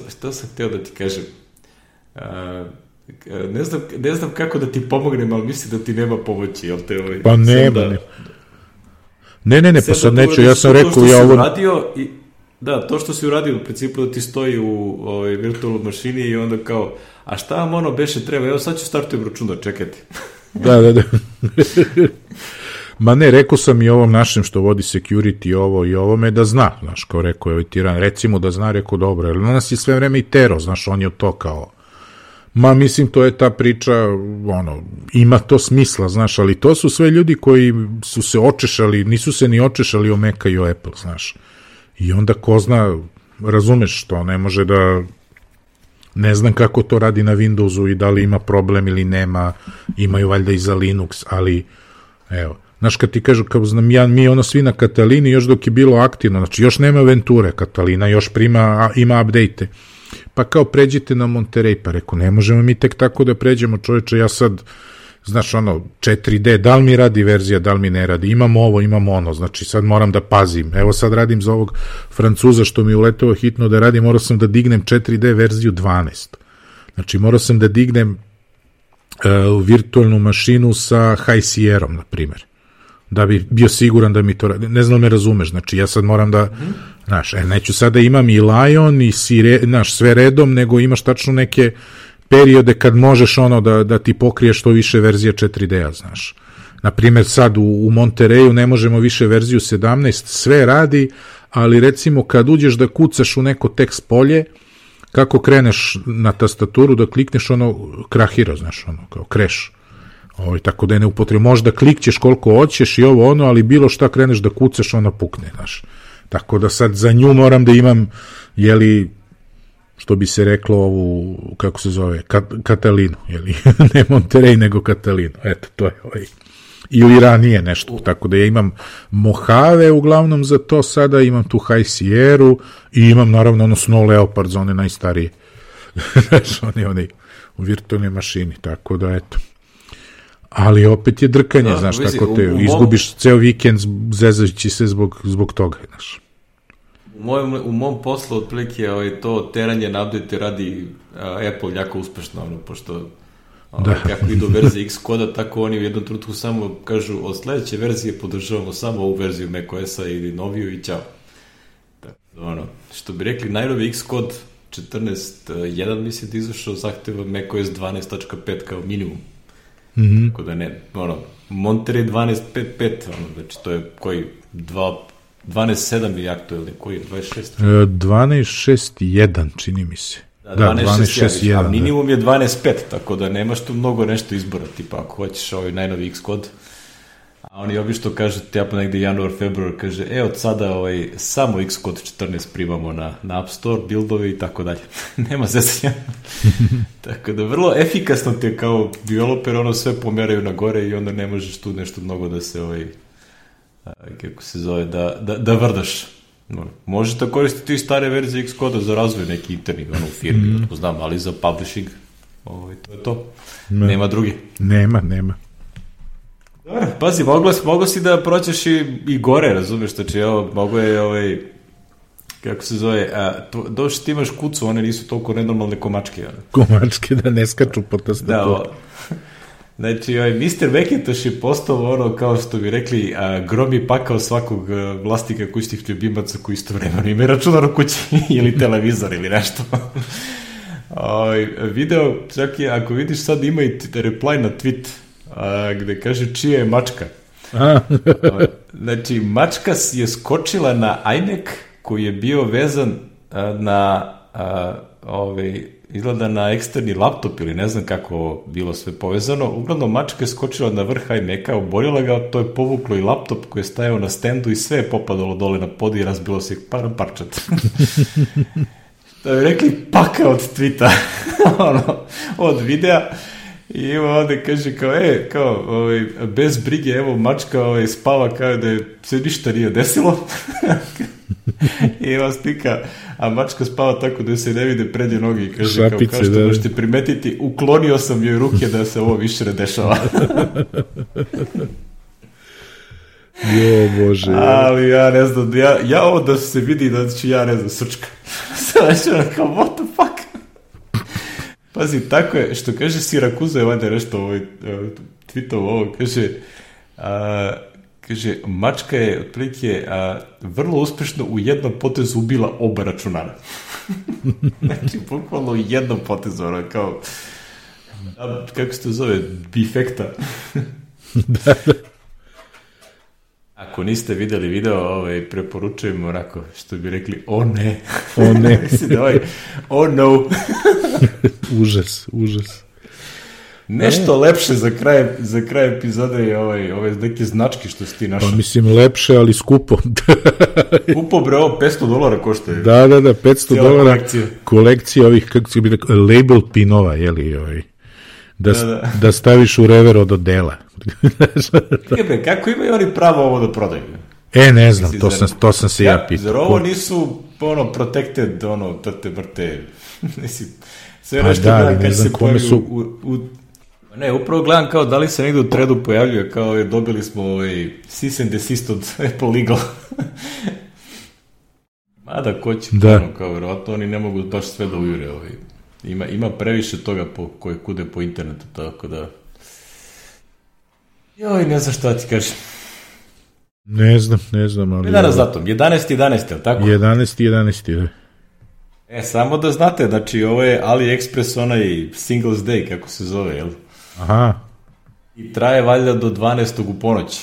Šta sam hteo da ti kažem? Ne znam kako da ti pomognem, ali mislim da ti nema pomoći, jel te Pa nema. Ne, pa sad neću, ja sam rekao ja ovo... Da, to što si uradio u principu da ti stoji u virtualnoj mašini i onda kao, a šta vam ono beše treba, evo sad ću startujem računat, čekajte. Da. Ma ne, rekao sam i ovom našem što vodi security ovo i ovome da zna, znaš, kao rekao je tiran, recimo da zna, rekao dobro, jer na nas je sve vreme i tero, znaš, on je to kao, ma mislim to je ta priča, ima to smisla, znaš, ali to su sve ljudi koji su se očešali, nisu se ni očešali o Maca i o Apple, znaš, i onda ko zna, razumeš što, ne može da, ne znam kako to radi na Windowsu i da li ima problem ili nema, imaju valjda i za Linux, ali, evo, znaš, kad ti kažu, kao znam ja, mi svi na Katalini, još dok je bilo aktivno, znači još nema Venture, Katalina još ima update-e, pa kao pređite na Monterey, pa reku, ne možemo mi tek tako da pređemo, čoveče, ja sad, znaš, 4D, da li mi radi verzija, da li mi ne radi, imamo ovo, imamo ono, znači sad moram da pazim, evo sad radim za ovog Francuza što mi uleteo hitno da radim, morao sam da dignem 4D verziju 12, znači morao sam da dignem virtualnu mašinu sa High Sierra-om, na primjer, da bi bio siguran da mi to radi. Ne znam me razumeš, znači ja sad moram da, znaš, neću sad da imam i Lion i znaš, sve redom, nego imaš tačno neke periode kad možeš da ti pokriješ što više verzija 4D-a, znaš. Naprimjer sad u Montereju ne možemo više verziju 17, sve radi, ali recimo kad uđeš da kucaš u neko tekst polje, kako kreneš na tastaturu da klikneš krahira, znaš, kao kreš. Tako da je neupotrebno. Možda klikćeš koliko hoćeš i ali bilo šta kreneš da kucaš, ona pukne, znaš. Tako da sad za nju moram da imam, što bi se reklo ovu, kako se zove, Katalinu, ne Monterey, nego Katalinu. Eto, to je ili ranije nešto, tako da ja imam Mojave uglavnom za to, sada imam tu High Sierra i imam naravno Snow Leopard za one najstarije. Znaš, oni u virtualnoj mašini, tako da eto. Ali opet je drkanje, znaš, tako te izgubiš ceo vikend zezajući se zbog toga, znaš. U mom poslu otprilike to teranje na update radi Apple jako uspešno, pošto kako idu verzije Xcoda, tako oni u jednom trenutku samo kažu od sledeće verzije podržavamo samo ovu verziju macOS-a ili noviju i ćao. Što bi rekli, najnovi Xcode 14.1 mislim da izašao zahteva macOS 12.5 kao minimum. Tako da ne, Monterey 12.5.5, znači to je koji 12.7 je aktuelni, koji je 26? 12.6.1 čini mi se. Da, 12.6.1, a minimum je 12.5, tako da nemaš tu mnogo nešto izbora, tipa ako hoćeš najnovi Xcode, a oni obično kažu, tipa negde januar, februar, kaže, od sada samo Xcode 14 primamo na App Store, buildovi i tako dalje. Nema zezanja. Tako da vrlo efikasno te kao developer sve pomeraju na gore i onda ne možeš tu nešto mnogo da se kako se zove, da vrdaš. Možeš da koristiti i stare verzije Xcoda za razvoj neki interni u firmi, to znam, ali za publishing to je to. Nema drugi. Nema. Dobro, pazi, mogo si da proćeš i gore, razumeš, znači, mogo je, kako se zove, došli ti imaš kucu, one nisu toliko nenormalne komačke. Komačke da ne skaču po tastaturu. Znači, Mr. Macintosh je postao kao što bi rekli, grom i pakao svakog vlasnika kućnih ljubimaca koji istovremeno ima računar u kući ili televizor ili nešto. Video, čak i ako vidiš sad ima i reply na tweet, gde kaže čija je mačka. Znači, mačka je skočila na iMac koji je bio vezan na izgleda na eksterni laptop ili ne znam kako bilo sve povezano. Uglavnom, mačka je skočila na vrh iMac-a, oborila ga, to je povuklo i laptop koji je stajao na standu i sve je popadalo dole na pod i razbilo se parčat. Da bi rekli paka od tweeta, od videa. I ima ovde kaže kao, bez brige, evo mačka spava kao da je se ništa nije desilo. I ima slika, a mačka spava tako da se ne vide prednje noge i kaže šapice, kao što možete primetiti, uklonio sam joj ruke da se ovo više ne dešava. Jo, Bože. Ali ja ne znam, ja ovo da se vidi da ću ja ne znam srčka. Znači kao, what the fuck? Pazi, tako je, što kaže Sirakuza je valjda nešto tweetovo ovo, kaže, mačka je otprilike vrlo uspešno u jednom potezu ubila oba računara. Znači, bukvalno u jednom potezu, kao, kako se to zove, bifekta. Da. Ako niste videli video, preporučujem onako, što bi rekli, o ne. O ne. Mislim da oh no. Užas. Nešto lepše za kraj epizode je ove neke značke što si ti našao. Pa mislim lepše, ali skupo. Skupo bre, ovo $500 košta. Da, $500 kolekcija ovih, kako se bi rekao, label pinova, jeli, da staviš u rever od odela. Kako imaju oni pravo ovo da prodaju? Ne znam, to sam se ja pitao. Zar ovo nisu protected, trte brte, sve nešto gledam kad se pojavi Ne, upravo gledam kao da li se negdje u threadu pojavljuje, kao dobili smo cease and desist od Apple Legal. Mada ko će, kao verovatno oni ne mogu baš sve da ujure. Ima previše toga koje kude po internetu, tako da... Joj, ne znam šta ti kažem. Ne znam, ali... Danas datum, 11.11, ali tako? 11.11, samo da znate, znači ovo je AliExpress onaj Singles Day, kako se zove, jel? Aha. I traje valjda do 12. u ponoć.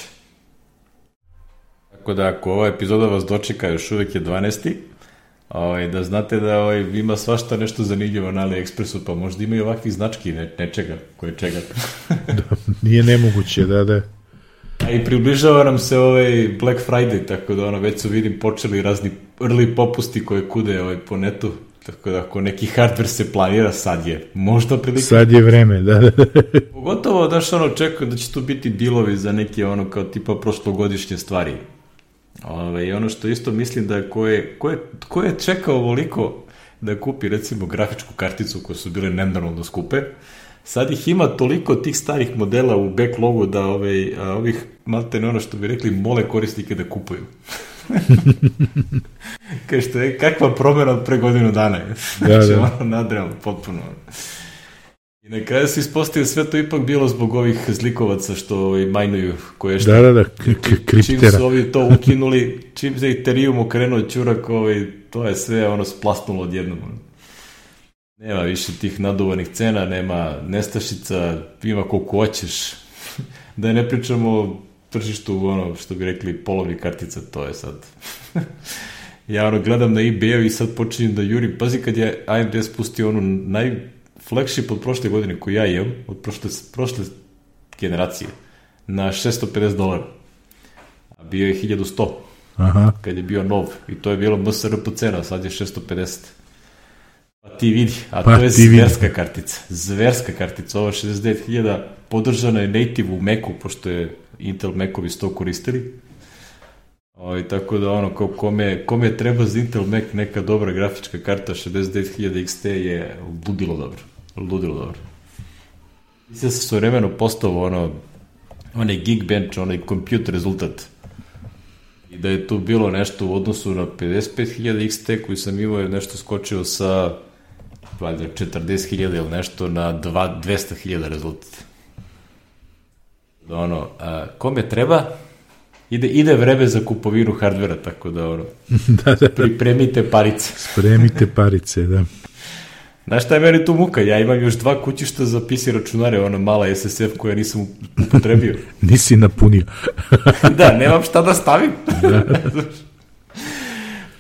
Tako da ako ova epizoda vas dočeka, još uvijek je 12. Da znate da ima svašta nešto zanimljivo na AliExpressu, pa možda ima i ovakvih znački nečega, koje čega. Nije nemoguće, da. A i približava nam se Black Friday, tako da već su vidim počeli razni early popusti koje kude po netu, tako da ako neki hardware se planira, sad je možda prilike. Sad je vreme, da. Pogotovo, daš očekujem da će tu biti dealovi za neke kao tipa prošlogodišnje stvari. I ono što isto mislim da ko je čekao ovoliko da kupi recimo grafičku karticu koje su bile nenormalno skupe, sad ih ima toliko tih starih modela u backlogu da ovih maltene ono što bi rekli mole korisnike da kupuju. Kakva promjena od pre godinu dana je. Znači nadrealno, potpuno. I na kraju se ispostavio sve to ipak bilo zbog ovih zlikovaca što majnuju koje što... Da, kriptera. Čim su ovi to ukinuli, čim se Ethereum okrenuo čurak, to je sve splasnulo odjednom. Nema više tih naduvanih cena, nema nestašica, ima koliko hoćeš. Da ne pričamo o tržištu, što bi rekli, polovnih kartica, to je sad. Ja gledam na eBay-u i sad počinjem da jurim. Pazi kad je AMD spustio flagship od prošle godine koju ja imam, od prošle generacije, na $650. A bio je 1100. Aha. Kad je bio nov. I to je bilo MSRP cena, sad je 650. Pa ti vidi, to je zverska kartica, ovo 69.000, podržana je native u Macu, pošto je Intel Macovi to koristili. Tako da kome treba za Intel Mac neka dobra grafička karta 69.000 XT je ludilo dobro. Mislim da se svojevremeno postao onaj Geekbench, onaj compute rezultat. I da je tu bilo nešto u odnosu na 55.000 XT koji sam imao je nešto skočio sa 40.000 ili nešto na 200.000 rezultat. Kome treba? Ide vreme za kupovinu hardvera, tako da pripremite parice. Spremite parice, da. Znaš šta je meni tu muka? Ja imam još 2 kućišta za PC računare, ona mala SSF koja nisam upotrebio. Nisi napunio. Da, nemam šta da stavim.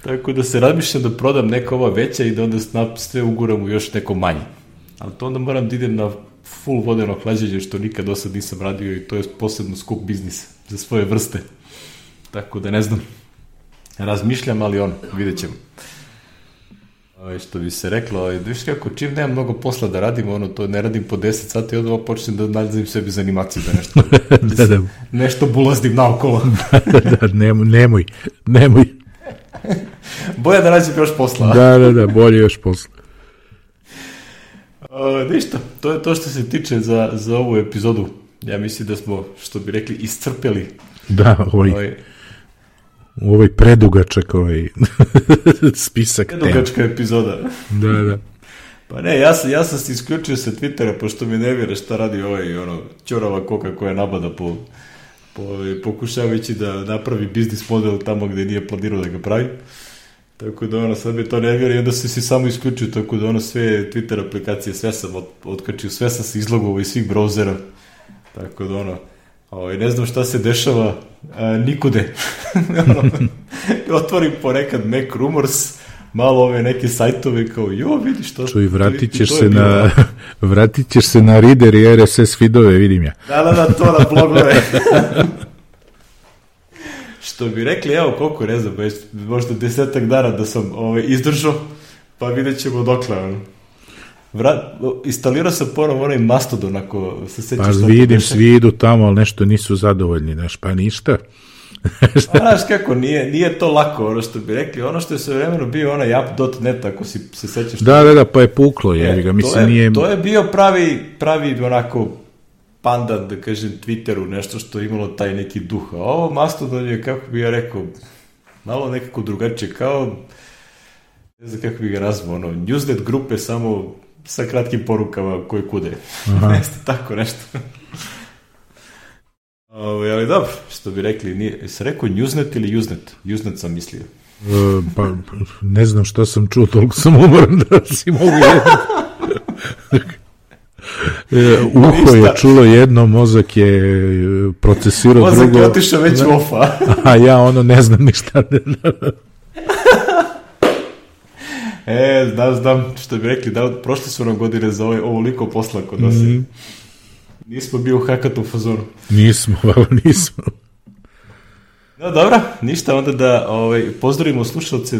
Tako da se razmišljam da prodam neka ova veća i da onda sve uguram u još neko manje. Ali to onda moram da idem na full vodeno hlađenje, što nikad do sad nisam radio i to je posebno skup biznis za svoje vrste. Tako da ne znam. Razmišljam, ali vidjet ćemo. Što bi se reklo, viš kako, čim nemam mnogo posla da radim, to ne radim po 10 sati, onda počnem da nalazim sebi za animaciju, da nešto, nešto bulazdim naokolo. Nemoj. Bolje da radim još posla. Da, bolje još posla. Ništa, to je to što se tiče za ovu epizodu. Ja mislim da smo, što bi rekli, iscrpeli. Da, ovaj predugačak spisak tema. Predugačka epizoda. Da. Pa ne, ja sam se isključio sa Twittera, pošto mi ne vjera šta radi čorava koka koja nabada pokušavajući da napravi biznis model tamo gdje nije planirao da ga pravi. Tako da sad mi to ne vjera i onda se si samo isključio, tako da sve Twitter aplikacije, sve sam otkačio, sve sam se izlogovao iz svih brauzera. Tako da ne znam šta se dešava nikude. Otvorim ponekad Mac Rumors, malo ove neke sajtove kao, vidiš to. Čuj, vratit ćeš se na Reader i RSS feedove, vidim ja. Da, to na blogove. Što bi rekli, koliko ne znam, možda 10 dana da sam izdržao, pa vidjet ćemo dokle. Instalirao sam ponovno onaj Mastodon, ako se sećaš. Pa vidim, svi idu tamo, ali nešto nisu zadovoljni, pa ništa. Znaš kako, nije to lako, što bi rekli, što je sve vremeno bio onaj app.net, ako si se sećaš. Da, pa je puklo, To je bio pravi onako pandan, da kažem, Twitteru, nešto što je imalo taj neki duh. A ovo Mastodon je, kako bi ja rekao, malo nekako drugačije, kao, ne znam kako bi ga nazvao, newsnet grupe samo sa kratkim porukama koje kude. Jeste tako nešto. Ali dobro, što bi rekli, jesi rekao newsnet ili usenet? Usenet sam mislio. Pa ne znam što sam čuo, toliko sam umoran da si mogu uho je čulo jedno, mozak je procesirao drugo. Mozak je otišao već u ofa. A ja ne znam ništa. Znam, što bi rekli, prošle su nam godine za ovoliko posla kod nas. Nismo bio u hakatu fazonu. Nismo. No dobro, ništa, onda da pozdravimo slušalce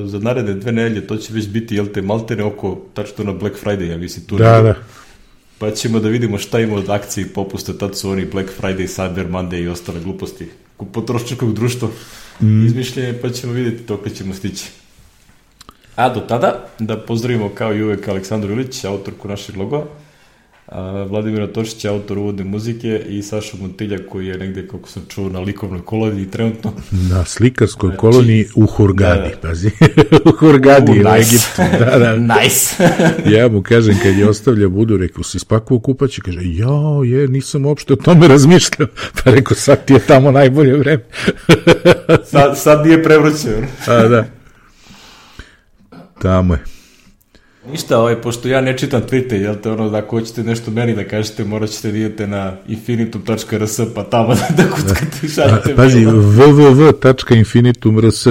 za naredne 2 nedelje, to će već biti, maltene oko, tačno na Black Friday, ja mislim, tu. Da. Pa ćemo da vidimo šta ima od akcije i popusta, tad su oni Black Friday, Cyber Monday i ostale gluposti potrošačkog društva izmišljenje, pa ćemo vidjeti to kad ćemo stići. A do tada, da pozdravimo kao i uvek Aleksandru Ilić, autorku našeg logova, Vladimira Tošića, autor uvodne muzike, i Sašu Montilja, koji je negde, kako sam čuo, na likovnoj koloniji trenutno. Na slikarskoj koloniji u Hurgadi, pazi. U Hurgadi, u Egiptu. Nice. Ja mu kažem, kad je ostavlja budu, rekao, si spakuo kupaći, kaže, nisam uopšte o tome razmišljao. Pa rekao, sad ti je tamo najbolje vreme. Sad nije prevrućeno. Da. Tamo je. Ništa, pošto ja ne čitam Twitter, ako hoćete nešto meni da kažete, morat ćete da idete na infinitum.rs, pa tamo da kuckate, šaljete. Pazi, www.infinitum.rs,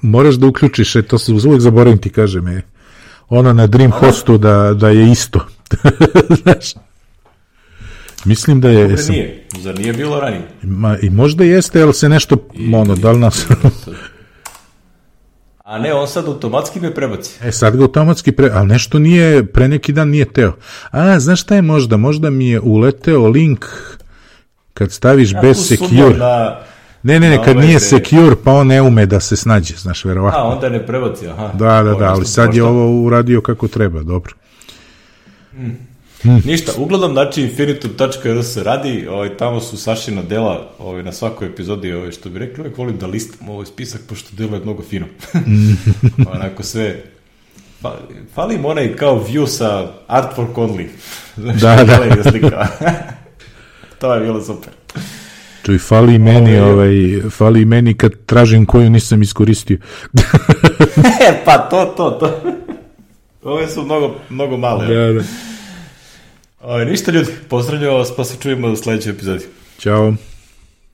moraš da uključiš, to se uvijek zaboravim ti kažem, na Dream Hostu da je isto. Znaš, mislim da je... Zar nije bilo ranije? I možda jeste, ali se nešto, da li nas... A ne, on sad automatski me prebaci. Sad ga automatski ali nešto nije, pre neki dan nije teo. Znaš šta je možda mi je uleteo link kad staviš bez secure. Ne, kad nije secure, pa on ne ume da se snađe, znaš, verovatno. Onda ne prebaci, aha. Da, ali sad je ovo uradio kako treba, dobro. Ništa, uglavnom, znači infinitum.rs radi, tamo su Sašina dela na svakoj epizodi, što bi rekli, uvijek volim da listam ovaj spisak, pošto delo je mnogo fino. Onako sve, falim onaj kao view sa artwork only. Znaš, da. To je bilo super. Čuj, fali meni kad tražim koju nisam iskoristio. Pa to. Ove su mnogo male. Da. Ništa ljudi, pozdravljamo vas, pa se čujemo u sljedećoj epizodi. Ćao.